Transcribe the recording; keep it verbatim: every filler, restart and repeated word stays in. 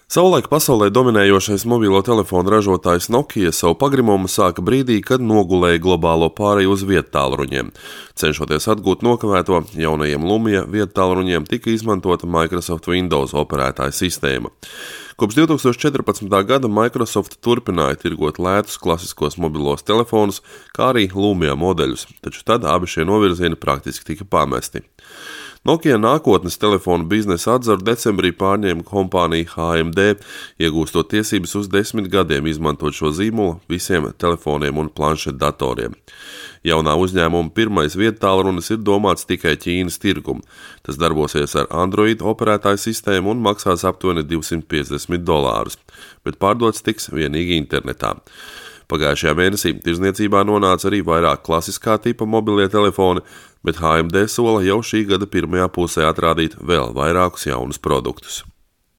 Savulaik pasaulē dominējošais mobilo telefonu ražotājs Nokia savu pagrimumu sāka brīdī, kad nogulēja globālo pāreju uz viedtālruņiem. Cenšoties atgūt nokavēto, jaunajiem Lumia viedtālruņiem tika izmantota Microsoft Windows operētāja sistēma. Kopš divi tūkstoši četrpadsmitā gada Microsoft turpināja tirgot lētus klasiskos mobilos telefonus, kā arī Lumia modeļus, taču tad abi šie novirzieni praktiski tika pamesti. Nokia nākotnes telefonu biznesa atzaru decembrī pārņēma kompānija H M D, iegūstot tiesības uz desmit gadiem izmantot šo zīmolu visiem telefoniem un planšetdatoriem. Jaunā uzņēmuma pirmais viedtālrunis ir domāts tikai Ķīnas tirgum. Tas darbosies ar Android operētāju sistēmu un maksās aptuveni divsimt piecdesmit dolārus, bet pārdots tiks vienīgi internetā. Pagājušajā mēnesī tirdzniecībā nonāca arī vairāk klasiskā tipa mobilie telefoni, bet H M D sola jau šī gada pirmajā pusē atrādīt vēl vairākus jaunus produktus.